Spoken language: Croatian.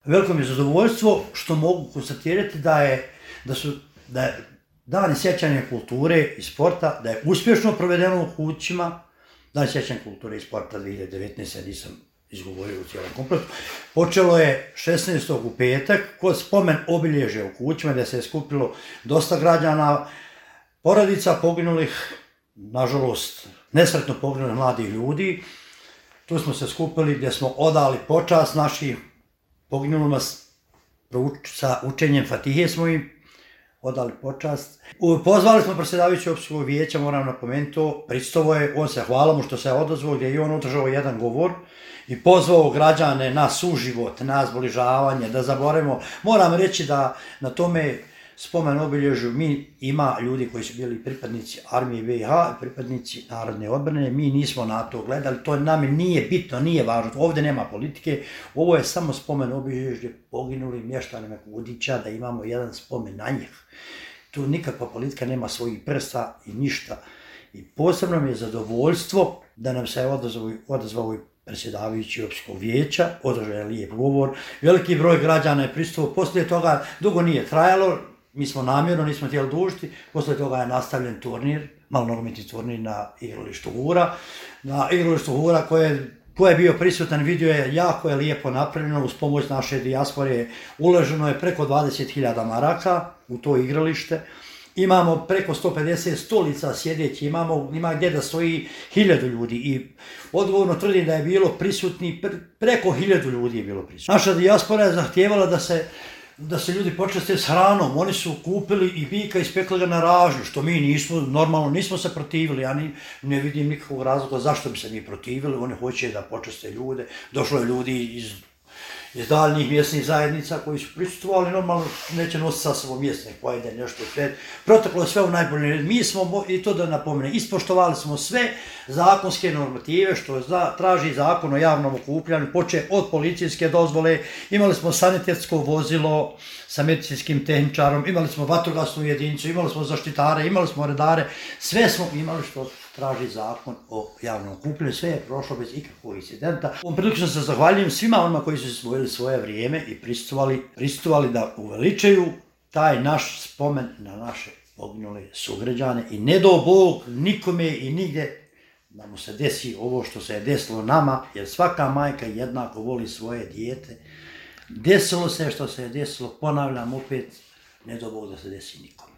Veliko mi je zadovoljstvo što mogu konstatirati da su dani sjećanja kulture i sporta, da je uspješno provedeno u kućima. Dan sjećanja kulture i sporta 2019. nisam izgovorio u cijelom kompletu. Počelo je 16. u petak kod spomen obilježja u kućima gdje se je skupilo dosta građana, porodica poginulih, nažalost nesretno poginulih mladih ljudi. Tu smo se skupili gdje smo odali počast naših poginulima sa učenjem Fatihe smo im odali počast. Pozvali smo predsjedavajućeg općinskog vijeća, moram napomenuti to, pristovo je, on se hvala mu što se odazvao, gdje je i on održao jedan govor i pozvao građane na suživot, na zbližavanje, da zaboravimo. Moram reći da na tome spomen obilježju ima ljudi koji su bili pripadnici armije BiH, pripadnici narodne odbrane, mi nismo na to gledali, to nama nije bitno, nije važno, ovdje nema politike, ovo je samo spomen obilježje poginulim mještanima Kudića, da imamo jedan spomen na njih. Tu nikakva politika nema svojih prsta i ništa. I posebno mi je zadovoljstvo da nam se odazvao i predsjedavajući općinskog vijeća, održao je lijep govor, veliki broj građana je prisustvovao, poslije toga dugo nije trajalo, mi smo namjerno, nismo htjeli dužiti, poslije toga je nastavljen turnir, malonogometni turnir na igralištu Hura. Na igralištu Hura ko je bio prisutan vidio je jako je lijepo napravljeno, uz pomoć naše dijaspore uloženo je preko 20.000 maraka u to igralište. Imamo preko 150 stolica sjedeći, ima gdje da stoji 1000 ljudi i odgovorno tvrdim da je bilo prisutni, preko 1000 ljudi je bilo prisutni. Naša dijaspora je zahtijevala da se ljudi počeste s hranom, oni su kupili i bika i spekli ga na ražnju, što mi nismo, normalno nismo se protivili, ja ne vidim nikakvog razloga zašto bi se mi protivili, oni hoće da počeste ljude, došlo je ljudi iz daljnjih mjesnih zajednica koji su prisustvovali, normalno neće nositi sa sobom mjesne pojede nešto pred. Proteklo je sve u najbolje. Mi smo, i to da napomenem, ispoštovali smo sve zakonske normative što traži zakon o javnom okupljanju, počeo od policijske dozvole, imali smo sanitetsko vozilo sa medicinskim tehničarom, imali smo vatrogasnu jedinicu, imali smo zaštitare, imali smo redare, sve smo imali što traži zakon o javnom okupljanju, sve je prošlo bez ikakvog incidenta. Ovom prilično se zahvaljujem svima onima koji su izdvojili svoje vrijeme i prisustvovali da uveličaju taj naš spomen na naše poginule sugrađane i ne do Bog nikome i nigdje da mu se desi ovo što se je desilo nama, jer svaka majka jednako voli svoje dijete. Desilo se što se je desilo, ponavljam opet, ne do Bog da se desi nikome.